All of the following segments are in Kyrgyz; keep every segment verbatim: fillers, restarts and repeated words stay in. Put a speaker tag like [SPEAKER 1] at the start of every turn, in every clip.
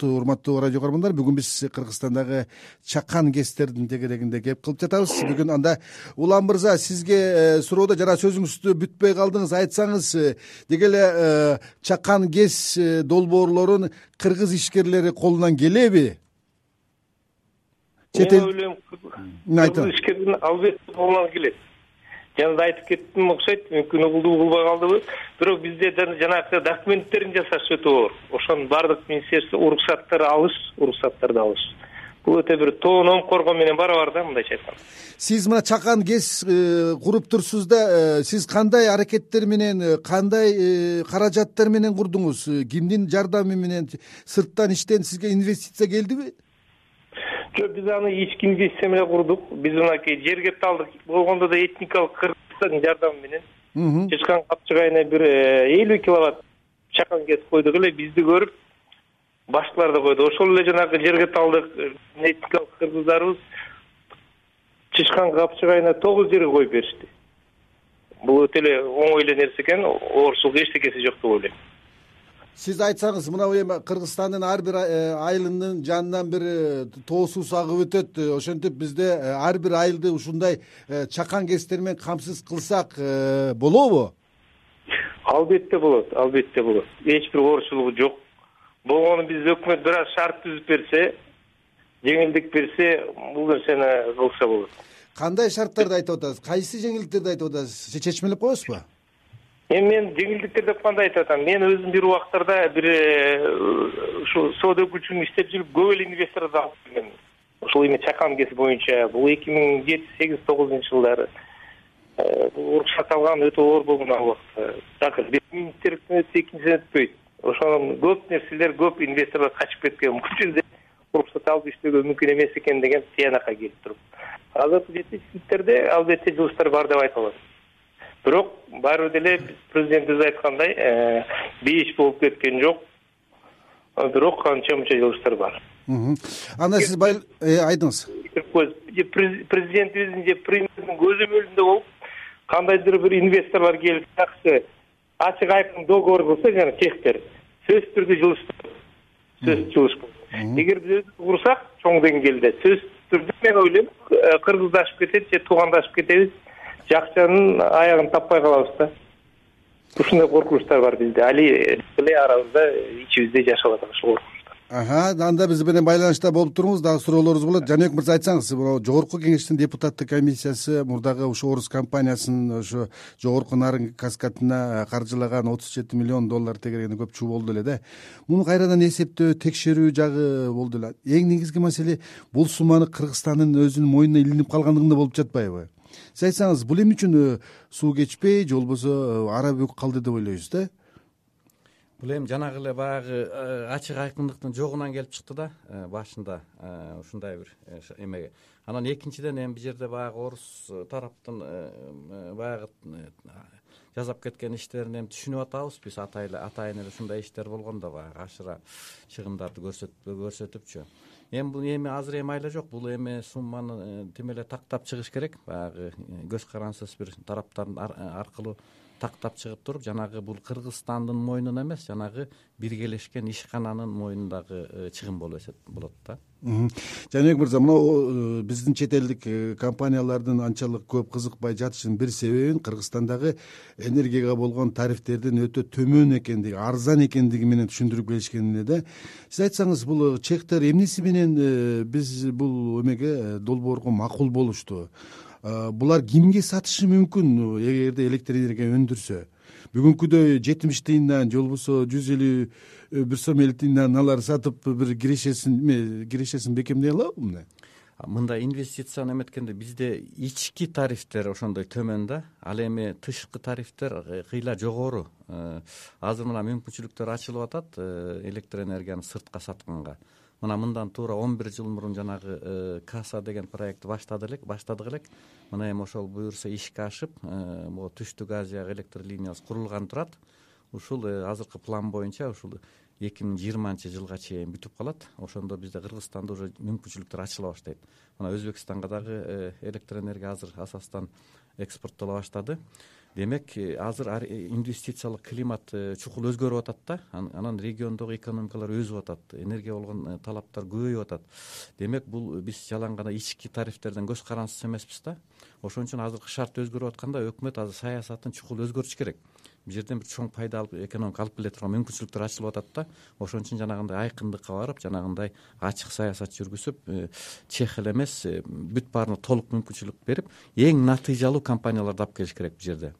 [SPEAKER 1] Урматтуу радио көрөрмандар, бүгүн биз Кыргызстандагы чакан гэстердин тегерегинде кеп кылып жатабыз. Бүгүн анда Улан мырза, сизге суроодо жана сөзүңүздү бүтпөй калдыңыз, айтсаңыз, деги эле чакан гэс долбоорлорун кыргыз ишкерлери колунан келеби?
[SPEAKER 2] Мен ойлойм, кыргыз ишкердин албетте колунан келет. Жана да айтып кеттим окшойт, мүмкүн угулду угулбай калдыбы. Бирок бизде жанагы документтерин жасаш өтө оор. Ошонун баардык министерство уруксаттарды алыш, уруксаттарды алыш. Бул өтө бир тоон коргоо менен барабар да, мындайча айтканда.
[SPEAKER 1] Сиз мына чакан гэс куруп турсуз да, сиз кандай аракеттер менен, кандай каражаттар менен курдуңуз? Кимдин жардамы менен, сырттан иштен сизге инвестиция келдиби?
[SPEAKER 2] Жок, биз аны ички инвестиция менен курдук. Биз мынакей жерге талдык болгондо да этникалык Кыргызстандын жардамы менен Чычкан капчыгайына бир элүү киловатт чакан гэс койдук эле, бизди көрүп башкалар да койду. Ошол эле жанагы жерге талдык этникалык кыргыздарыбыз Чычкан капчыгайына тогуз жерге коюп беришти. Бул өтө эле оңой эле нерсе экен, оорчулук эчтекеси жок деп ойлойм.
[SPEAKER 1] Сиз айтсаңыз, мына эми Кыргызстандын ар бир айылынын жанынан бир тоо суу агып өтөт. Ошентип бизде ар бир айылды ушундай чакан гэстер менен камсыз кылсак болобу?
[SPEAKER 2] Албетте болот, албетте болот. Эч бир оорчулугу жок. Болгону биз өкмөт бир аз шарт түзүп берсе, жеңилдик берсе, бул нерсени кылса болот.
[SPEAKER 1] Кандай шарттарды айтып атасыз? Кайсы жеңилдиктерди айтып атасыз? Чечмелеп коесузбу?
[SPEAKER 2] Эми мен жеңилдиктер деп кандай айтып атам? Мен өзүм бир убактарда бир ушу соода өкүлчүлүгүн иштеп жүрүп, көп эле инвесторду алып келген. Ошол эми чакан гэс боюнча бул эки миң жети, сегиз, тогузунчу жылдары уруксат алган өтө оор болгон ал убакта. Так бир министрликтен өтсө, экинчиден өтпөйт. Ошол көп нерселер, көп инвесторлор качып кеткен. Бул жерде уруксат алып иштөөгө мүмкүн эмес экен деген тыянакка келип туруп. Азыркы жетишсиздиктерде албетте жылыштар бар деп айта алат. Бирок баары деле президент өзү айткандай, бейиш болуп кеткен жок. Бирок канча-мынча жылыштар бар.
[SPEAKER 1] Анда сиз айтыңыз.
[SPEAKER 2] Президентибиздин же премьердин көзөмөлүндө болуп, кандайдыр бир инвесторлор келип, жакшы ачык айкын договор кылса, жана чектер сөзсүз түрдө жылыш. Сөзсүз жылыш. Эгер биз өзүбүз курсак, чоң деңгээлде сөзсүз түрдө мен ойлойм, кыргыздашып кетет же туугандашып кетебиз. Жакчанын аягын таппай калабыз да. Ушундай коркунучтар бар бизде. Али эле арабызда, ичибизде жашап атат ушул коркунучтар.
[SPEAKER 1] Ага, анда биз менен байланышта болуп туруңуз, дагы суроолорубуз болот. Жаныбек мырза, айтсаңыз, жогорку кеңештин депутаттык комиссиясы мурдагы ушу Орус компаниясынын ошо жогорку нарынг каскадына каржылаган отуз жети миллион доллар тегерегинде көп чуу болду эле да. Муну кайрадан эсептөө, текшерүү жагы болду эле. Эң негизги маселе бул сумманы Кыргызстандын өзүнүн мойнуна илинип калгандыгында болуп жатпайбы? Сиз айтсаңыз, бул эмне үчүн суу кечпей, же болбосо ара бөк калды деп ойлойсуз да?
[SPEAKER 3] Бул эми жанагы эле баягы ачык айкындыктын жогунан келип чыкты да, башында ушундай бир эмеге. Анан экинчиден эми бул жерде баягы орус тараптын баягы жасап кеткен иштерин эми түшүнүп атабыз биз, атайын эле ушундай иштер болгондо баягы ашыра чыгымдарды көрсөтүпчү. Эми бул эми азыр эми айла жок, бул эми сумманы тим эле тактап чыгыш керек. Баягы көз карансыз бир тараптардын аркылуу тактап чыгып туруп, жанагы бул Кыргызстандын мойнуна эмес, жанагы биргелешкен ишкананын мойнундагы чыгым болот да.
[SPEAKER 1] Жаныбек мырза, мына биздин чет элдик компаниялардын анчалык көп кызыкпай жатышынын бир себебин Кыргызстандагы энергияга болгон тарифтердин өтө төмөн экендиги, арзан экендиги менен түшүндүрүп келишкен эле да. Сиз айтсаңыз, бул чектер эмнеси менен биз бул эмеге долбоорго макул болушту? Булар кимге сатышы мүмкүн эгерде электр энергия өндүрсө? Бүгүнкүдөй жетимиш тыйындан же болбосо жүз элүү бир сом элүү тыйындан алар сатып бир кирешесин кирешесин бекемдей алабы мына?
[SPEAKER 3] Мындай инвестицияны эметкенде бизде ички тарифтер ошондой төмөн да, ал эми тышкы тарифтер кыйла жогору. Азыр мына мүмкүнчүлүктөр ачылып атат электр энергияны сыртка сатканга. Мына мындан туура он бир жыл мурун жанагы Каса деген проектти баштады элек, баштадык элек. Мына эми ошол буюрса ишке ашып, могу Түштүк Азияга электр линиясы курулган турат. Ушул азыркы план боюнча ушул эки миң жыйырманчы жылга чейин бүтүп калат. Ошондо бизде Кыргызстанда уже мүмкүнчүлүктөр ачыла баштайт. Мына Өзбекстанга дагы электр энергия азыр асастан экспорттола баштады. демек азыр инвестициялык климат чукул өзгөрүп атат да, анан региондогу экономикалар өсүп атат, энергия болгон талаптар көбөйүп атат. Демек бул биз жалаң гана ички тарифтерден көз карансыз эмеспиз да. Ошон үчүн азыркы шарт өзгөрүп атканда өкмөт азыр саясатын чукул өзгөртүш керек. Бул жерден бир чоң пайда алып экономика алып келе турган мүмкүнчүлүктөр ачылып атат да. Ошон үчүн жанагындай айкындыкка барып, жанагындай ачык саясат жүргүзүп, чех эле эмес, бүт баарына толук мүмкүнчүлүк берип, эң натыйжалуу компанияларды алып келиш керек бул жерде.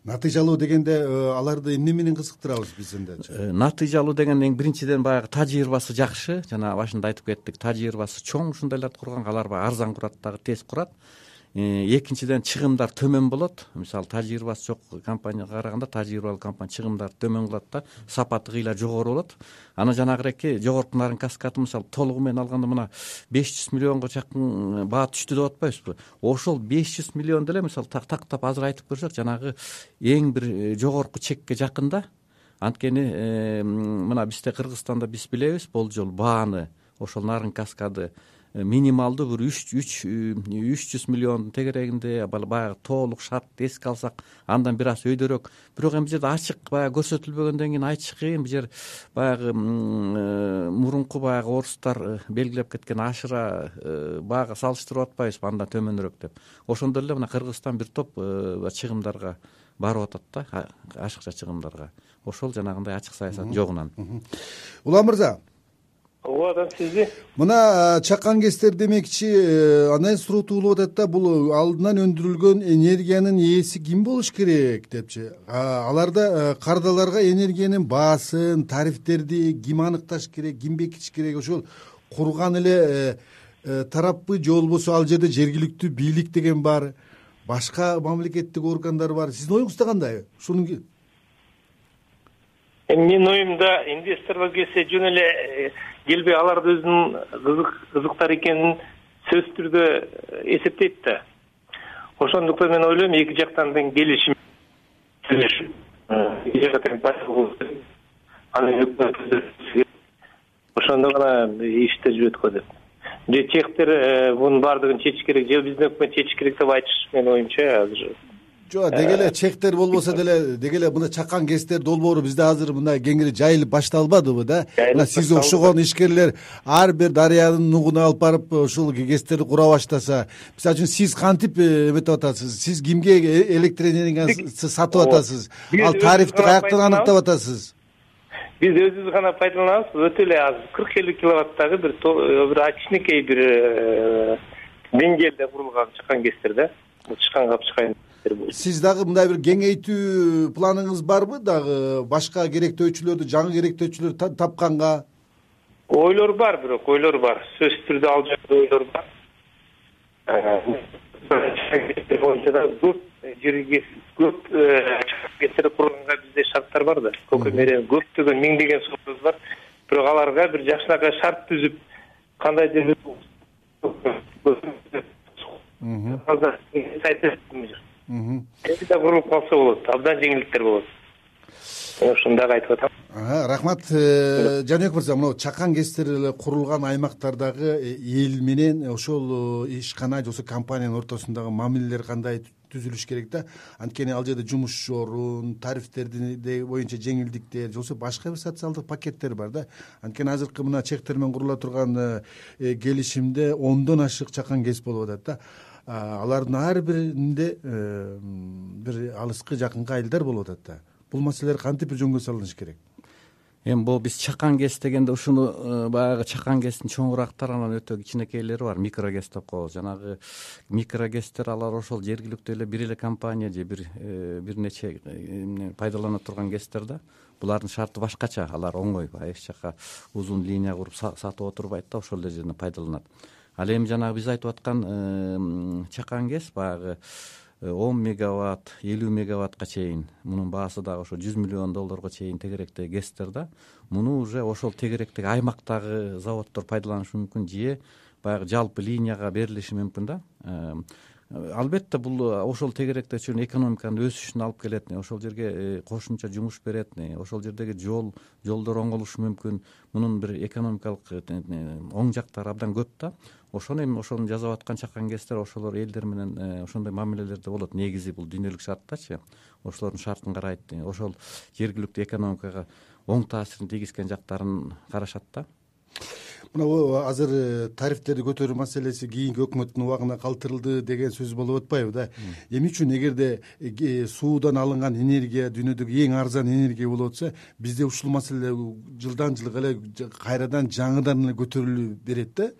[SPEAKER 1] Натыйжалуу дегенде аларды эмне менен кызыктырабыз биз энде?
[SPEAKER 3] Натыйжалуу деген эң биринчиден баягы тажрыйбасы жакшы, жана башында айтып кеттик, тажрыйбасы чоң ушундайларды курган, алар баягы арзан курат дагы, тез курат. Экинчиден чыгымдар төмөн болот. Мисалы тажрыйбасы жок компанияга караганда тажрыйбалуу компания чыгымдарды төмөн кылат да, сапаты кыйла жогору болот. Анан жанагыреки жогорку нарын каскады мисалы толугу менен алганда мына беш жүз миллионго жакын баа түштү деп атпайбызбы? Ошол беш жүз миллион деле мисалы тактап азыр айтып көрсөк, жанагы эң бир жогорку чекке жакын да. Анткени мына бизде Кыргызстанда биз билебиз, болжол бааны ошол нарын каскады минималдуу бир үч жүз миллиондун тегерегинде баягы толук шарт эске алсак, андан бир аз өйдөрөөк. Бирок эми бул жерде ачык баягы көрсөтүлбөгөндөн кийин айтыш кыйын. Бул жер баягы мурунку баягы орустар белгилеп кеткен ашыра баага салыштырып атпайбызбы, андан төмөнүрөөк деп. Ошондой эле мына Кыргызстан бир топ чыгымдарга барып атат да, ашыкча чыгымдарга. Ошол жанагындай ачык саясаттын жогунан.
[SPEAKER 1] Улан мырза,
[SPEAKER 2] ооба, сизди
[SPEAKER 1] мына чакан гэстер демекчи андан суроо болуп атат да, бул алдынан өндүрүлгөн энергиянын ээси ким болуш керек депчи. Аларда кардаларга энергиянын баасын, тарифтерди ким аныкташ керек, ким бекитиш керек? Ошол курган эле тараппы же болбосо ал жерде жергиликтүү бийлик деген бар, башка мамлекеттик органдар бар. Сиздин оюңузда кандай? Ушунун
[SPEAKER 2] менин оюмда инвесторлор келсе жөн эле келбей аларды өзүнүн кызык кызыктар экенин сөзсүз түрдө эсептейт да. Ошондуктан мен ойлойм, эки жактан тең келишим сүйлөшүп, эки жакка тең башчылык ошондо гана иштер жүрөт го деп. Же чехтер бунун баардыгын чечиш керек, же биздин өкмөт чечиш керек деп айтыш менин оюмча азыр.
[SPEAKER 1] Жок, деги эле чехтер болбосо деле, деги эле мына чакан гэстер долбоору бизде азыр мына кеңири жайылып башталбадыбы да? Мына сиз окшогон ишкерлер ар бир дарыянын нугуна алып барып ушул гэстерди кура баштаса, мисалы үчүн сиз кантип эметип атасыз? Сиз кимге электр энергияны сатып атасыз? Ал тарифти каяктан аныктап атасыз?
[SPEAKER 2] Биз өзүбүз гана пайдаланабыз, өтө эле аз, кырк элүү киловаттагы бир бир кичинекей бир деңгээлде курулган чакан гэстер да. Чыккан капчыкайын.
[SPEAKER 1] Сиз дагы мындай бир кеңейтүү планыңыз барбы дагы, башка керектөөчүлөрдү, жаңы керектөөчүлөрдү тапканга?
[SPEAKER 2] Ойлор бар, бирок ойлор бар. Сөзсүз түрдө ал жакта ойлор бар. Көп жерге көп гэстер курганга бизде шарттар бар да. Көкөмөрө көптөгөн миңдеген сууз бар. Бирок аларга бир жакшынакай шарт түзүп, кандай жерде азыр сайты эми да курулуп калса болот, абдан жеңилдиктер болот. Ошондой айтып атам.
[SPEAKER 1] Рахмат, Жаныбек мырза. Мына чакан гэстер эле курулган аймактардагы эл менен ошол ишкана же болбосо компаниянын ортосундагы мамилелер кандай түзүлүш керек да? Анткени ал жерде жумуш орун, тарифтерди боюнча жеңилдиктер же болбосо башка бир социалдык пакеттер бар да. Анткени азыркы мына чехтер менен курула турган келишимде ондон ашык чакан гэс болуп атат да. Алардын ар биринде бир алыскы жакынкы айылдар болуп атат да. Бул маселелер кантип бир жөнгө салыныш керек?
[SPEAKER 3] Эми бул биз чакан гэс дегенде ушуну баягы чакан гэстин чоңурактары, анан өтө кичинекейлери бар, микрогэс деп коебуз. Жанагы микрогэстер алар ошол жергиликтүү эле бир эле компания же бир бир нече пайдалана турган гэстер да. Булардын шарты башкача, алар оңой, эч жака узун линия куруп сатып отурбайт да, ошол эле жерден пайдаланат. Ал эми жанагы биз айтып аткан чакан гэс баягы он мегаватт, элүү мегаваттка чейин, мунун баасы дагы ошо жүз миллион долларга чейин тегеректеги гэстер да. Муну уже ошол тегеректеги аймактагы заводдор пайдаланышы мүмкүн, же баягы жалпы линияга берилиши мүмкүн да. албетте бул ошол тегеректечү экономиканын өсүшүнө алып келет, ошол жерге кошумча жумуш берет, ошол жердеги жол жолдор оңолушу мүмкүн. Мунун бир экономикалык оң жактары абдан көп да. Ошону эми ошону жасап аткан чакан кездер ошолор элдер менен ошондой мамилелерде болот. Негизи бул дүйнөлүк шарттачы, ошолордун шартын карайт, ошол жергиликтүү экономикага оң таасирин тийгизген жактарын карашат да.
[SPEAKER 1] Мына азыр тарифтерди көтөрүү маселеси кийинки өкмөттүн убагына калтырылды деген сөз болуп атпайбы да. Эмне үчүн эгерде суудан алынган энергия дүйнөдөгү эң арзан энергия болуп атса, бизде ушул маселе жылдан жылга эле кайрадан жаңыдан эле көтөрүлүп берет да.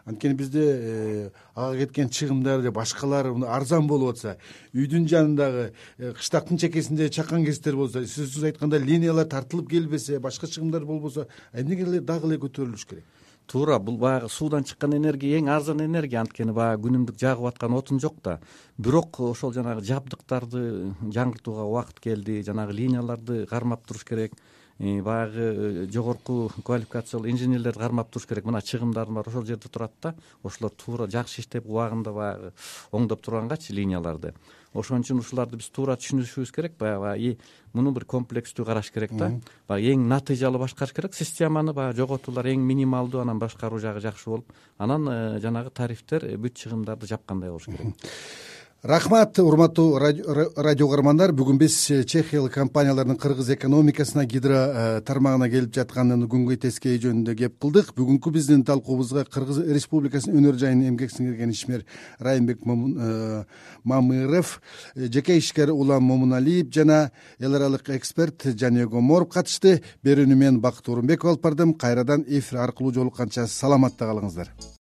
[SPEAKER 1] Анткени бизде ага кеткен чыгымдар же башкалар арзан болуп атса, үйдүн жанындагы кыштактын чекесинде чакан кесиптер болсо, сиз айткандай линиялар тартылып келбесе, башка чыгымдар болбосо, эмнеге эле дагы эле көтөрүлүш керек?
[SPEAKER 3] Туура, бул баягы суудан чыккан энергия эң арзан энергия, анткени баягы күнүмдүк жагып аткан отун жок да. Бирок ошол жанагы жабдыктарды жаңыртууга убакыт келди, жанагы линияларды кармап туруш керек, баягы жогорку квалификациялуу инженерлерди кармап туруш керек. Мына чыгымдардын баары ошол жерде турат да. Ошолор туура жакшы иштеп убагында баягы оңдоп тургангачы линияларды. Ошон үчүн ушуларды биз туура түшүнүшүбүз керек, баягы муну бир комплекстүү караш керек да. Баягы эң натыйжалуу башкарыш керек системаны, баягы жоготуулар эң минималдуу, анан башкаруу жагы жакшы болуп, анан жанагы тарифтер бүт чыгымдарды жапкандай болуш керек.
[SPEAKER 1] Рахмат, урматтуу радио угармандар. Бүгүн биз чехиялык компаниялардын кыргыз экономикасына, гидро тармагына келип жаткан күнгөй тескей жөнүндө кеп кылдык. Бүгүнкү биздин талкуубузга Кыргыз Республикасынын өнөр жайынын эмгек сиңирген ишмер Райымбек Мамыров, жеке ишкер Улам Момуналиев жана эл аралык эксперт Жанег Оморов катышты. Берүүнү мен Бакыт Орунбеков алып бардым. Кайрадан эфир аркылуу жолукканча саламатта калыңыздар.